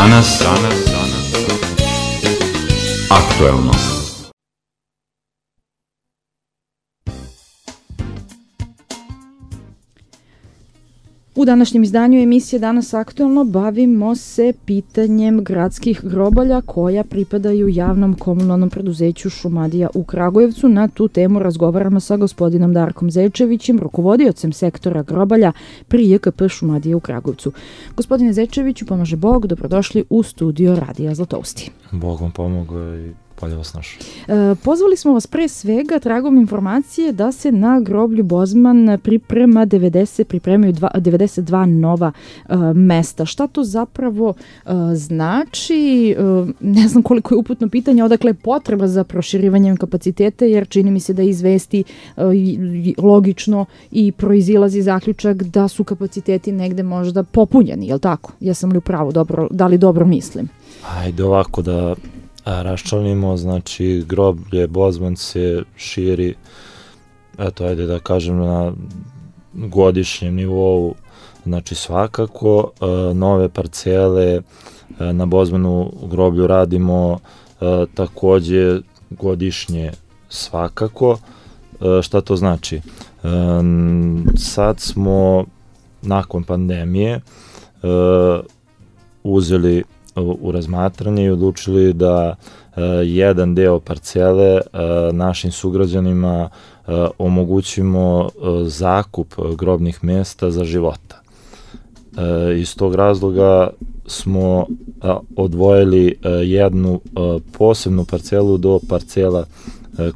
Danas aktuelno. U današnjem izdanju emisije Danas aktuelno bavimo se pitanjem gradskih grobalja koja pripadaju javnom komunalnom preduzeću Šumadija u Kragujevcu. Na tu temu razgovaramo sa gospodinom Darkom Zečevićem, rukovodiocem sektora grobalja pri JKP Šumadija u Kragujevcu. Gospodine Zečeviću, pomaže Bog, dobrodošli u studio Radija Zlatousti. Bog vam pomogao i bolje vas našao. Pozvali smo vas pre svega tragom informacije da se na groblju Bozman pripremaju 92 nova mesta. Šta to zapravo znači? Ne znam koliko je uputno pitanje, odakle je potreba za proširivanjem kapaciteta, jer čini mi se da izvesti logično i proizilazi zaključak da su kapaciteti negde možda popunjeni, je li tako? Jesam li u pravu? Da li dobro mislim? Ajde ovako da raščlanimo, znači groblje Bozman se širi, eto ajde da kažem na godišnjem nivou, znači svakako nove parcele na Bozmanu groblju radimo takođe godišnje svakako. Šta to znači? Sad smo nakon pandemije uzeli u razmatranje i odlučili da jedan deo parcele našim sugrađanima omogućimo zakup grobnih mesta za života. Iz tog razloga smo odvojili jednu posebnu parcelu do parcela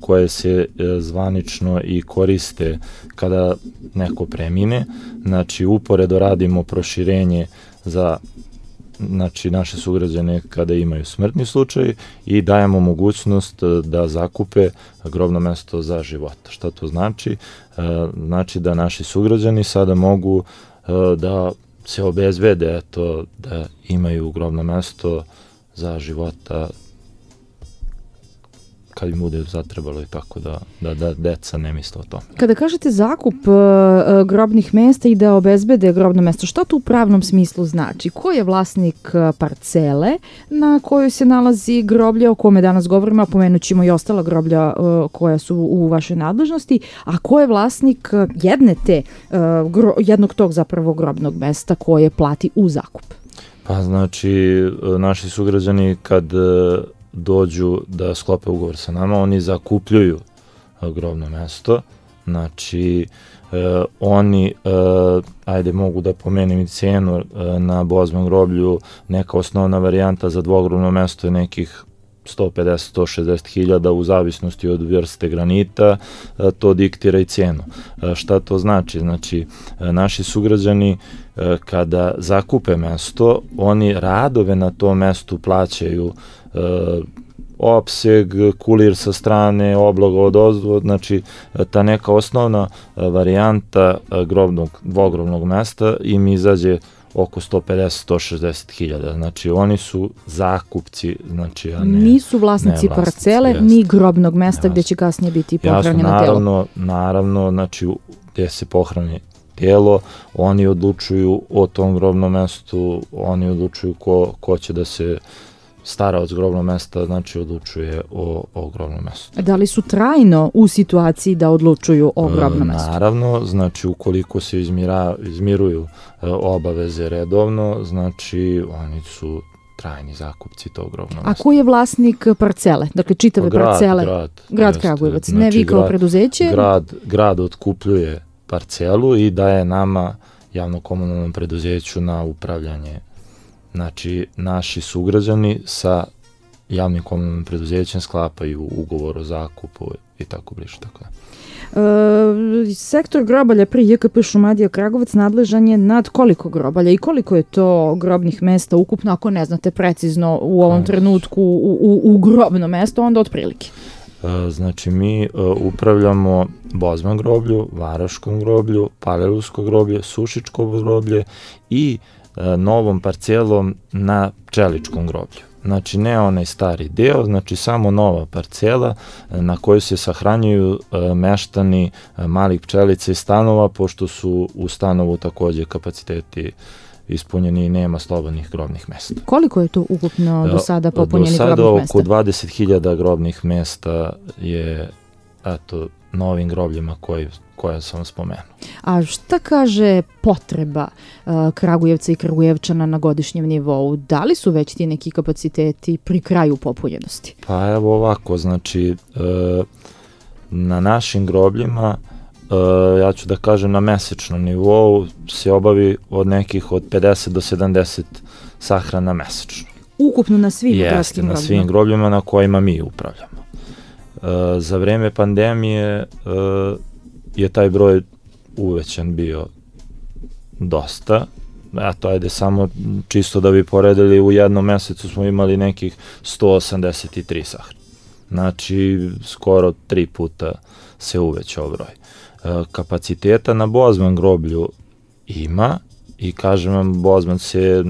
koje se zvanično i koriste kada neko premine. Znači uporedo radimo proširenje za naše sugrađane kada imaju smrtni slučaj i dajemo mogućnost da zakupe grobno mesto za života. Šta to znači? Znači da naši sugrađani sada mogu da se obezbede da imaju grobno mesto za života kad im bude zatrebalo i tako da deca ne misle o tome. Kada kažete zakup grobnih mesta i da obezbede grobno mesto, što to u pravnom smislu znači? Ko je vlasnik parcele na kojoj se nalazi groblje o kome danas govorimo, a pomenut ćemo i ostala groblja koja su u vašoj nadležnosti, a ko je vlasnik jednog tog zapravo grobnog mesta koje plati u zakup? Pa znači, naši sugrađani kad dođu da sklope ugovor sa nama, oni zakupljuju grobno mesto, znači oni, ajde mogu da pomenem i cenu na Bozman groblju, neka osnovna varijanta za dvogrobno mesto je nekih 150-160 hiljada u zavisnosti od vrste granita, to diktira i cenu. Šta to znači? Znači, naši sugrađani kada zakupe mesto, oni radove na tom mestu plaćaju opseg, kulir sa strane, obloga od ozdo, znači ta neka osnovna varijanta dvogrobnog mesta im izađe oko 150-160 hiljada. Znači oni su zakupci, znači nisu vlasnici parcele, ni grobnog mesta gde će kasnije biti pohranjeno telo. Naravno, znači gde se pohrani telo, oni odlučuju o tom grobnom mestu, oni odlučuju ko će da se stara od grobnog mesta, znači odlučuje o grobnom mestu. Da li su trajno u situaciji da odlučuju o grobnom mestu? Naravno, znači ukoliko se izmiruju obaveze redovno, znači oni su trajni zakupci tog grobnog mesta. A ko je vlasnik parcele? Dakle, čitave parcele? Grad Kragujevac, znači, ne vi kao preduzeće? Grad otkupljuje parcelu i daje nama, javno-komunalnom preduzeću, na upravljanje. Znači, naši sugrađani sa javnim komunalnim preduzećem sklapaju ugovor o zakupu i tako bliže. Tako da. Sektor grobalja pri JKP Šumadija Kragujevac nadležan je nad koliko grobalja i koliko je to grobnih mesta ukupno, ako ne znate precizno u ovom trenutku u grobno mesto, onda otprilike? Znači, mi upravljamo Bozman groblju, Varaškom groblju, Palilulsko groblje, Sušičko groblje i novom parcelom na Pčeličkom groblju. Znači, ne onaj stari deo, znači samo nova parcela na kojoj se sahranjuju meštani malih pčelica i stanova, pošto su u stanovu takođe kapaciteti ispunjeni i nema slobodnih grobnih mesta. Koliko je to ukupno do sada popunjenih grobnih mesta? Do sada oko 20.000 grobnih mesta je novim grobljima koje sam spomenuo. A šta kaže potreba Kragujevca i Kragujevčana na godišnjem nivou? Da li su već ti neki kapaciteti pri kraju popunjenosti? Pa evo ovako, znači na našim grobljima, ja ću da kažem na mesečnom nivou, se obavi od nekih od 50 do 70 sahrana mesečno. Ukupno na svim gradskim grobljima? Jeste, na svim grobljima na kojima mi upravljamo. Za vreme pandemije je taj broj uvećan bio dosta. Eto, ajde samo čisto da bi poredili, u jednom mesecu smo imali nekih 183 sahrane. Znači, skoro 3 puta se uvećao broj. Kapaciteta na Bozman groblju ima i kažem vam, Bozman se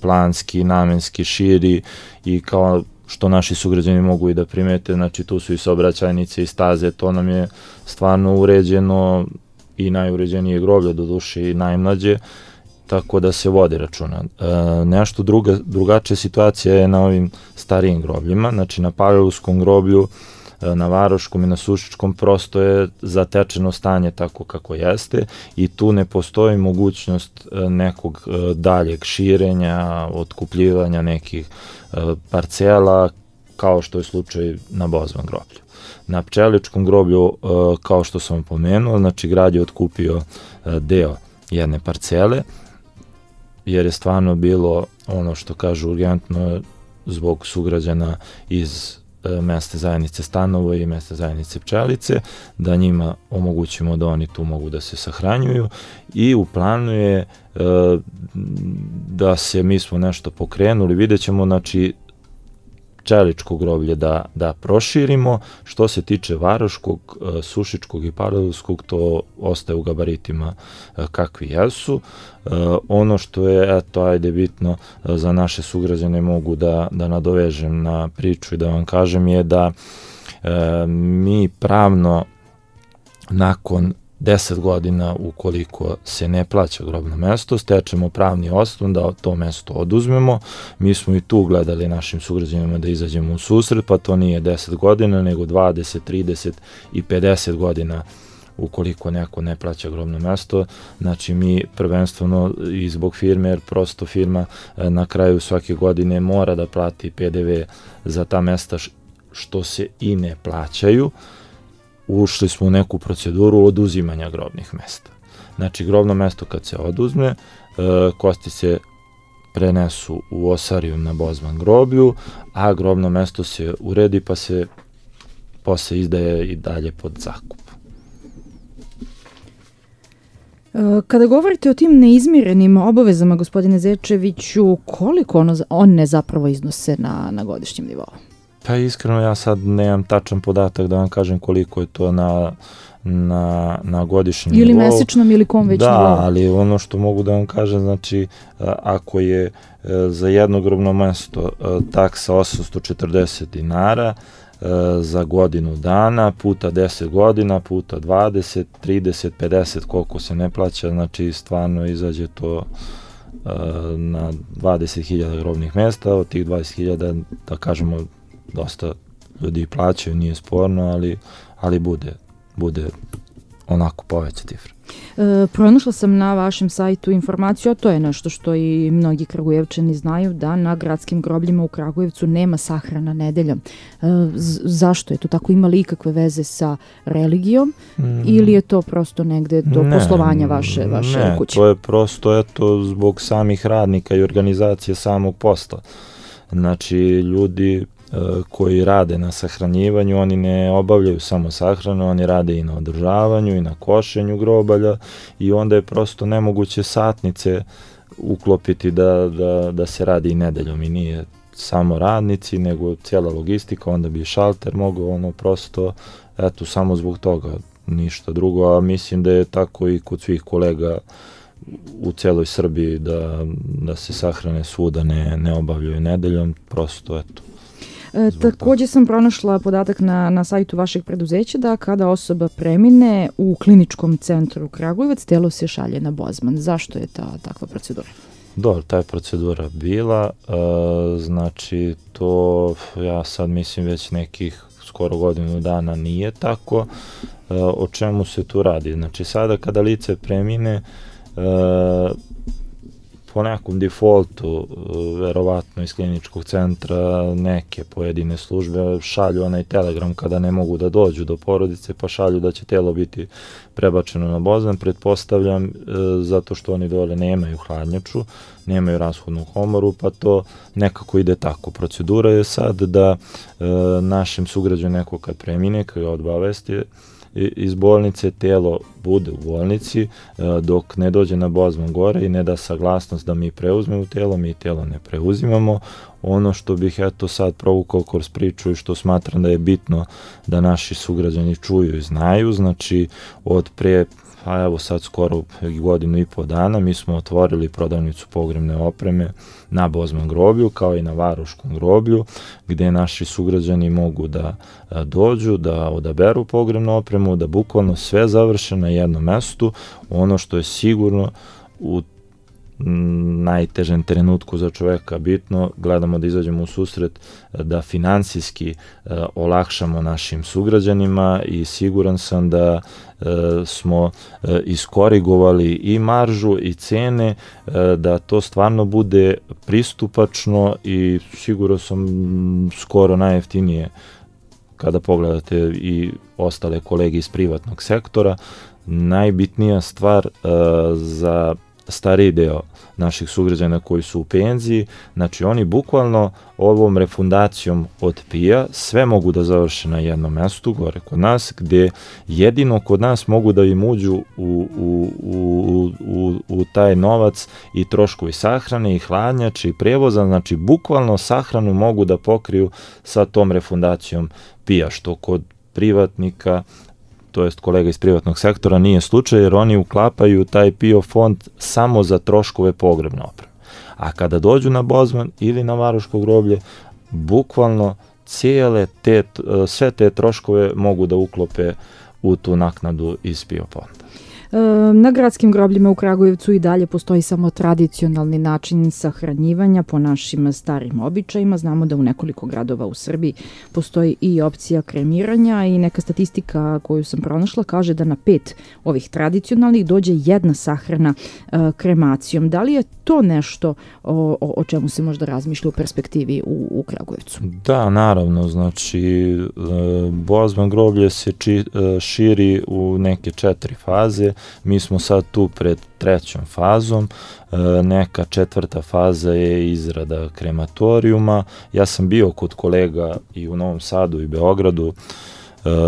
planski, namenski širi i kao što naši sugrađani mogu i da primete, znači tu su i saobraćajnice i staze, to nam je stvarno uređeno i najuređenije groblje, do duše i najmlađe, tako da se vodi računa. Nešto drugačija situacija je na ovim starijim grobljima, znači na Palilulskom groblju, na Varoškom i na Sušičkom prosto je zatečeno stanje tako kako jeste i tu ne postoji mogućnost nekog daljeg širenja, otkupljivanja nekih parcela kao što je slučaj na Bozman groblju. Na Pčeličkom groblju, kao što sam pomenuo, znači grad je otkupio deo jedne parcele jer je stvarno bilo ono što kažu urgentno zbog sugrađana iz mesta zajednice Stanovo i mesta zajednice Pčelice, da njima omogućimo da oni tu mogu da se sahranjuju i u planu je da se, mi smo nešto pokrenuli, vidjet ćemo, znači Pčeličko groblje da proširimo. Što se tiče Varoškog, Sušičkog i Palilulskog, to ostaje u gabaritima kakvi jesu. Ono što je, ajde, bitno za naše sugrađane, mogu da nadovežem na priču i da vam kažem, je da mi pravno nakon 10 godina, ukoliko se ne plaća grobno mesto, stečemo pravni osnov da to mesto oduzmemo. Mi smo i tu gledali našim sugrađanima da izađemo u susret, pa to nije 10 godina, nego 20, 30 i 50 godina ukoliko neko ne plaća grobno mesto. Znači mi prvenstveno i zbog firme, jer prosto firma na kraju svake godine mora da plati PDV za ta mesta što se i ne plaćaju, ušli smo u neku proceduru oduzimanja grobnih mesta. Znači, grobno mesto kad se oduzme, kosti se prenesu u osarijum na Bozman groblju, a grobno mesto se uredi pa se posle izdaje i dalje pod zakup. Kada govorite o tim neizmirenim obavezama, gospodine Zečeviću, koliko one zapravo iznose na godišnjem nivou? Pa iskreno ja sad nemam tačan podatak da vam kažem koliko je to na godišnjem nivou. Ili mesečnom ili kom već nivou. Da, ali ono što mogu da vam kažem, znači ako je za jedno grobno mesto taksa 840 dinara za godinu dana, puta 10 godina, puta 20, 30, 50, koliko se ne plaća, znači stvarno izađe to na 20.000 grobnih mesta. Od tih 20.000, da kažemo, dosta ljudi plaćaju, nije sporno, ali bude onako poveća cifra. Pronašla sam na vašem sajtu informaciju, a to je nešto što i mnogi Kragujevčani znaju, da na gradskim grobljima u Kragujevcu nema sahrana nedeljom. Zašto je to tako? Ima li ikakve veze sa religijom ili je to prosto negde do poslovanja vaše kuće? Ne, to je prosto zbog samih radnika i organizacije samog posla. Znači, ljudi koji rade na sahranjivanju, oni ne obavljaju samo sahranu, oni rade i na održavanju i na košenju grobalja i onda je prosto nemoguće satnice uklopiti da se radi i nedeljom i nije samo radnici, nego cijela logistika, onda bi šalter mogao prosto, samo zbog toga, ništa drugo, a mislim da je tako i kod svih kolega u celoj Srbiji da se sahrane svuda ne obavljaju nedeljom, prosto Takođe sam pronašla podatak na sajtu vašeg preduzeća da kada osoba premine u kliničkom centru Kragujevac, telo se šalje na Bozman. Zašto je takva procedura? Dobro, ta je procedura bila, znači to ja sad mislim već nekih skoro godinu dana nije tako. O čemu se tu radi? Znači sada kada lice premine, po nekom defaultu, verovatno iz kliničkog centra, neke pojedine službe šalju onaj telegram kada ne mogu da dođu do porodice, pa šalju da će telo biti prebačeno na Bozman, pretpostavljam zato što oni dole nemaju hladnjaču, nemaju rashodnu komoru, pa to nekako ide tako. Procedura je sad da našem sugrađanu neko kad premine, kad ga odbavesti iz bolnice, telo bude u bolnici dok ne dođe na Bozman gore i ne da saglasnost da mi preuzmemo telo, mi telo ne preuzimamo. Ono što bih eto sad provukao kroz priču i što smatram da je bitno da naši sugrađani čuju i znaju, znači od pre, a evo sad skoro godinu i po dana, mi smo otvorili prodavnicu pogrebne opreme na Bozman groblju, kao i na Varoškom groblju, gde naši sugrađani mogu da dođu, da odaberu pogrebnu opremu, da bukvalno sve završe na jednom mestu. Ono što je sigurno u najtežem trenutku za čoveka bitno, gledamo da izađemo u susret, da finansijski olakšamo našim sugrađanima i siguran sam da smo iskorigovali i maržu i cene, da to stvarno bude pristupačno i sigurno sam skoro najjeftinije kada pogledate i ostale kolege iz privatnog sektora. Najbitnija stvar za stariji deo naših sugrađana koji su u penziji, znači oni bukvalno ovom refundacijom od PIA sve mogu da završe na jednom mestu gore kod nas, gde jedino kod nas mogu da im uđu u taj novac i troškovi sahrane i hladnjače i prevoza, znači bukvalno sahranu mogu da pokriju sa tom refundacijom PIA, što kod privatnika, to jest kolega iz privatnog sektora, nije slučaj, jer oni uklapaju taj PIO fond samo za troškove pogrebne opreme. A kada dođu na Bozman ili na Varoško groblje, bukvalno sve te troškove mogu da uklope u tu naknadu iz PIO fonda. Na gradskim grobljima u Kragujevcu i dalje postoji samo tradicionalni način sahranjivanja po našim starim običajima. Znamo da u nekoliko gradova u Srbiji postoji i opcija kremiranja i neka statistika koju sam pronašla kaže da na 5 ovih tradicionalnih dođe jedna sahrana kremacijom. Da li je to nešto o čemu se možda razmišlja u perspektivi u Kragujevcu? Da, naravno, znači Bozman groblje se širi u neke 4 faze. Mi smo sad tu pred 3. fazom, neka 4. faza je izrada krematorijuma. Ja sam bio kod kolega i u Novom Sadu i Beogradu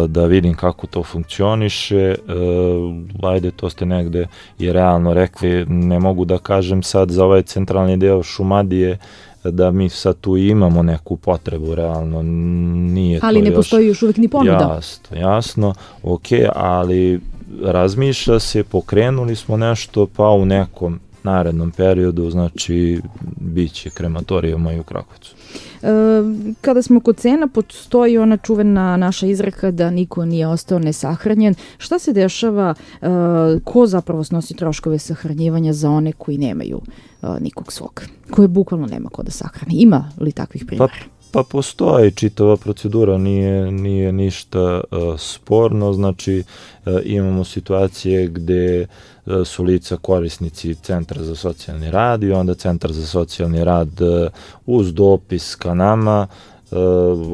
da vidim kako to funkcioniše. Ajde, to ste negde i realno rekli, ne mogu da kažem sad za ovaj centralni deo Šumadije da mi sad tu imamo neku potrebu, realno nije to još... Ali ne postoji još uvijek ni ponuda. Jasno, ok, ali razmišlja se, pokrenuli smo nešto, pa u nekom narednom periodu, znači, bit će krematorijuma i u Kragujevcu. Kada smo kod cena, postoji ona čuvena naša izreka da niko nije ostao nesahranjen. Šta se dešava, ko zapravo snosi troškove sahranjivanja za one koji nemaju nikog svog, koje bukvalno nema ko da sahrani? Ima li takvih primjera? Pa postoji čitava procedura, nije ništa sporno, znači imamo situacije gde su lica korisnici Centra za socijalni rad i onda Centar za socijalni rad uz dopis ka nama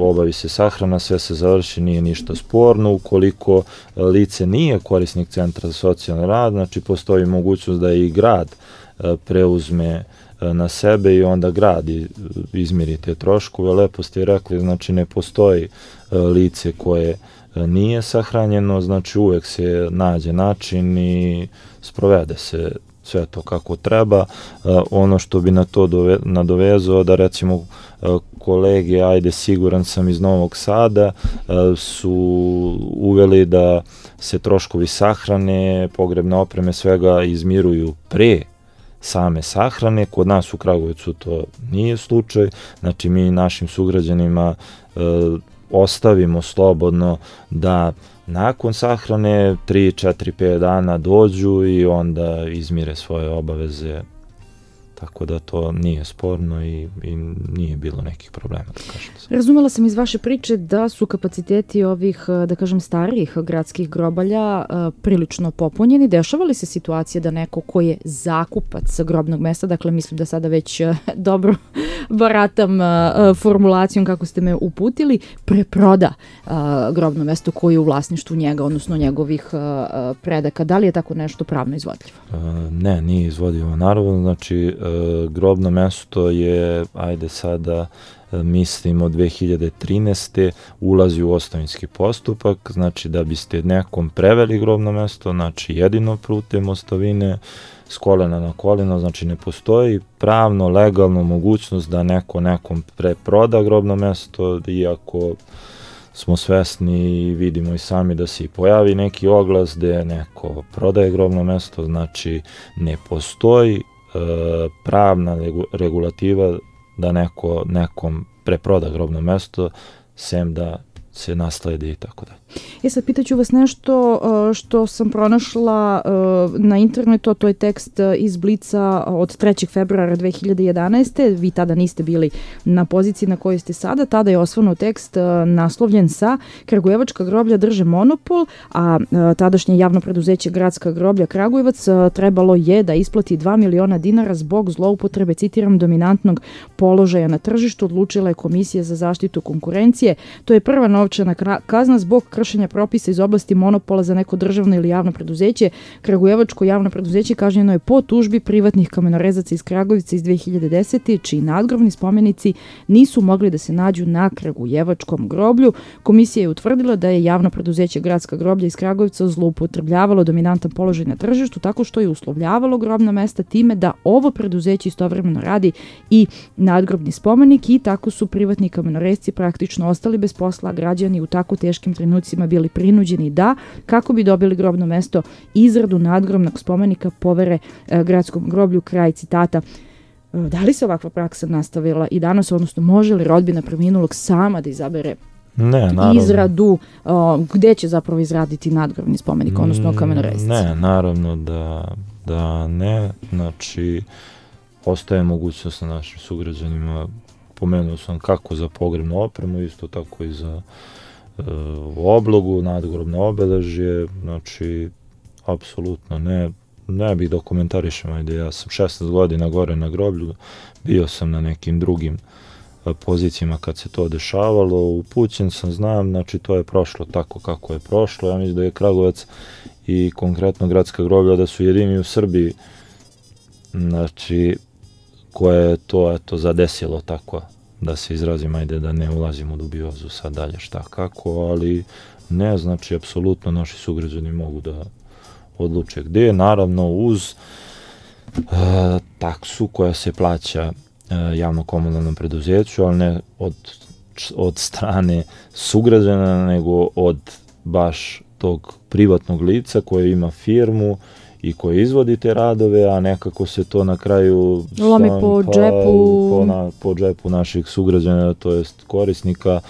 obavi se sahrana, sve se završi, nije ništa sporno. Ukoliko lice nije korisnik Centra za socijalni rad, znači postoji mogućnost da i grad preuzme na sebe i onda grad izmiri te troškove. Lepo ste rekli, znači ne postoji lice koje nije sahranjeno, znači uvek se nađe način i sprovede se sve to kako treba. Ono što bi na to nadovezao, da recimo kolege, ajde siguran sam iz Novog Sada, su uveli da se troškovi sahrane, pogrebne opreme, svega izmiruju pre same sahrane. Kod nas u Kragujevcu to nije slučaj, znači mi našim sugrađanima ostavimo slobodno da nakon sahrane 3, 4, 5 dana dođu i onda izmire svoje obaveze tako da to nije sporno i nije bilo nekih problema. Razumela sam iz vaše priče da su kapaciteti ovih, da kažem, starijih gradskih grobalja prilično popunjeni. Dešava li se situacija da neko ko je zakupac grobnog mesta, dakle mislim da sada već dobro baratam formulacijom kako ste me uputili, preproda grobno mesto koje je u vlasništvu njega, odnosno njegovih predaka? Da li je tako nešto pravno izvodljivo? Ne, nije izvodljivo. Naravno, znači grobno mesto je, ajde sada mislim od 2013. ulazi u ostavinski postupak, znači da biste nekom preveli grobno mesto, znači jedino putem ostavine, s kolena na koleno, znači ne postoji pravno, legalno mogućnost da neko nekom preproda grobno mesto, iako smo svesni i vidimo i sami da se i pojavi neki oglas gde neko prodaje grobno mesto, znači ne postoji pravna regulativa da neko nekom preproda grobno mesto, sem da se nasledi i tako dalje. Sad pitaću vas nešto što sam pronašla na internetu, to je tekst iz Blica od 3. februara 2011. Vi tada niste bili na poziciji na kojoj ste sada, tada je osvanuo tekst naslovljen sa Kragujevačka groblja drže monopol, a tadašnje javno preduzeće Gradska groblja Kragujevac trebalo je da isplati 2 miliona dinara zbog zloupotrebe, citiram, dominantnog položaja na tržištu, odlučila je Komisija za zaštitu konkurencije. To je prva novčana kazna zbog kršenja propisa iz oblasti monopola za neko državno ili javno preduzeće. Kragujevačko javno preduzeće kažnjeno je po tužbi privatnih kamenorezaca iz Kragujevca iz 2010. čiji nadgrobni spomenici nisu mogli da se nađu na Kragujevačkom groblju. Komisija je utvrdila da je javno preduzeće Gradska groblja iz Kragujevca zloupotrebljavalo dominantan položaj na tržištu tako što je uslovljavalo grobna mesta time da ovo preduzeće istovremeno radi i nadgrobni spomenik i tako su privatni kamenorezci praktično ostali bez posla, građani u tako teškim trenucima bili prinuđeni da, kako bi dobili grobno mesto, izradu nadgrobnog spomenika povere Gradskom groblju, kraj citata. Da li se ovakva praksa nastavila i danas, odnosno može li rodbina preminulog sama da izabere izradu, gde će zapravo izraditi nadgrobni spomenik, odnosno kamenorezci? Ne, naravno da ne, znači ostaje mogućnost na našim sugrađanima, pomenuo sam kako za pogrebnu opremu, isto tako i za oblogu, nadgrobno obeležje, znači apsolutno ne bih da komentarišem, ajde, ja sam 16 godina gore na groblju, bio sam na nekim drugim pozicijama kad se to dešavalo, upućen sam, znam, znači to je prošlo tako kako je prošlo, ja mislim da je Kragujevac i konkretno Gradska groblja da su jedini u Srbiji, znači koje je to zadesilo tako, da se izrazim, ajde da ne ulazim u dubiozu sad dalje šta kako, ali ne, znači apsolutno naši sugrađani mogu da odluče gde, naravno uz taksu koja se plaća javno-komunalnom preduzeću, ali ne od strane sugrađana, nego od baš tog privatnog lica koje ima firmu i koji izvodi te radove, a nekako se to na kraju lomi po džepu. Po džepu naših sugrađana, to jest korisnika.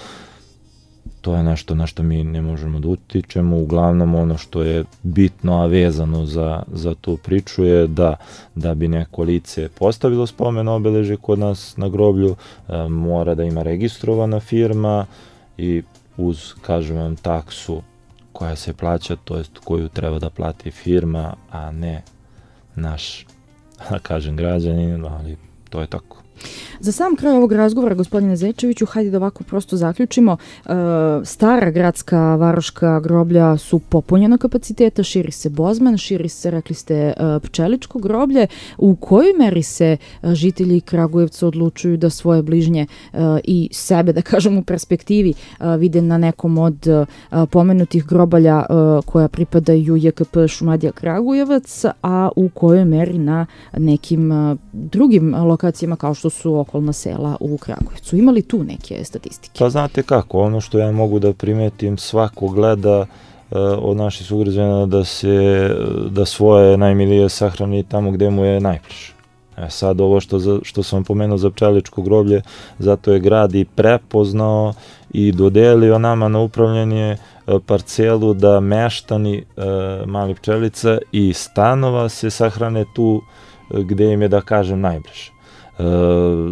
To je nešto na što mi ne možemo da utičemo. Uglavnom ono što je bitno, a vezano za tu priču je da bi neko lice postavilo spomen obeležje kod nas na groblju, mora da ima registrovana firma i uz, kažem vam, taksu koja se plaća, to jest koju treba da plati firma, a ne naš, da kažem, građanin, ali to je tako. Za sam kraj ovog razgovora, gospodine Zečeviću, hajde da ovako prosto zaključimo. Stara gradska varoška groblja su popunjena kapaciteta, širi se Bozman, širi se, rekli ste, Pčeličko groblje. U kojoj meri se žitelji Kragujevca odlučuju da svoje bližnje i sebe, da kažem, u perspektivi vide na nekom od pomenutih grobalja koja pripadaju JKP Šumadija Kragujevac, a u kojoj meri na nekim drugim lokacijama kao što su okolna sela u Kragujevcu? Ima li tu neke statistike? Pa znate kako, ono što ja mogu da primetim, svako gleda od naših sugrađana da svoje najmilije sahrani tamo gde mu je najbliže. Sad ovo što sam pomenuo za Pčeličko groblje, zato je grad i prepoznao i dodelio nama na upravljanje parcelu da meštani Mali Pčelica i stanova se sahrane tu gde im je, da kažem, najbliže.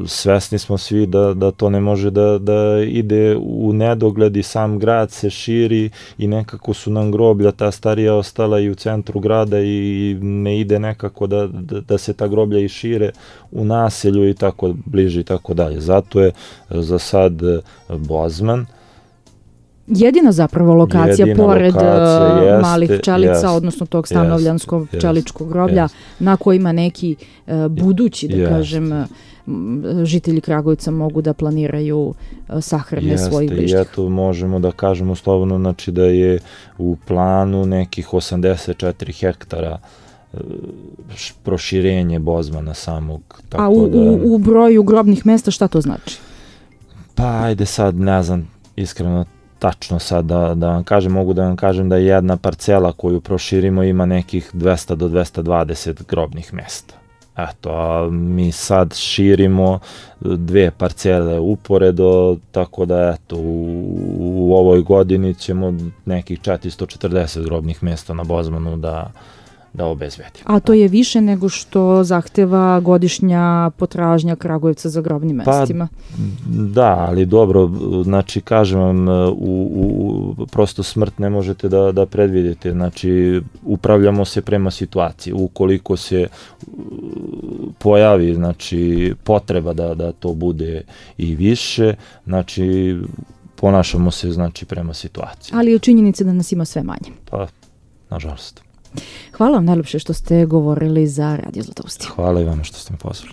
Svesni smo svi da to ne može da ide u nedogled i sam grad se širi i nekako su nam groblja ta starija ostala i u centru grada i ne ide nekako da se ta groblja i šire u naselju i tako bliže i tako dalje. Zato je za sad Bozman jedina zapravo lokacija pored malih pčelica, odnosno tog stanovljanskog pčeličkog groblja, na kojima neki budući, da kažem, žitelji Kragujevca mogu da planiraju sahrane svojih bližnjih. I eto, možemo da kažemo slobodno, znači da je u planu nekih 84 hektara proširenje Bozmana samog. A u broju grobnih mesta šta to znači? Pa ajde sad, ne znam, iskreno tačno sad da vam kažem, mogu da vam kažem da jedna parcela koju proširimo ima nekih 200 do 220 grobnih mesta. Eto, a mi sad širimo 2 parcele uporedo, tako da eto, u ovoj godini ćemo nekih 440 grobnih mesta na Bozmanu da obezbedimo. A to je više nego što zahteva godišnja potražnja Kragujevca za grobnim mestima? Pa, da, ali dobro, znači kažem vam, prosto smrt ne možete da predvidite, znači upravljamo se prema situaciji. Ukoliko se pojavi, znači, potreba da to bude i više, znači ponašamo se, znači, prema situaciji. Ali je činjenica da nas ima sve manje. Pa, nažalost. Hvala vam najljepše što ste govorili za Radio Zlatoustije. Hvala i vama što ste me pozvali.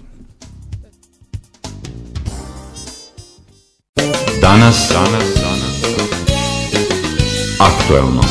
Danas aktuelno.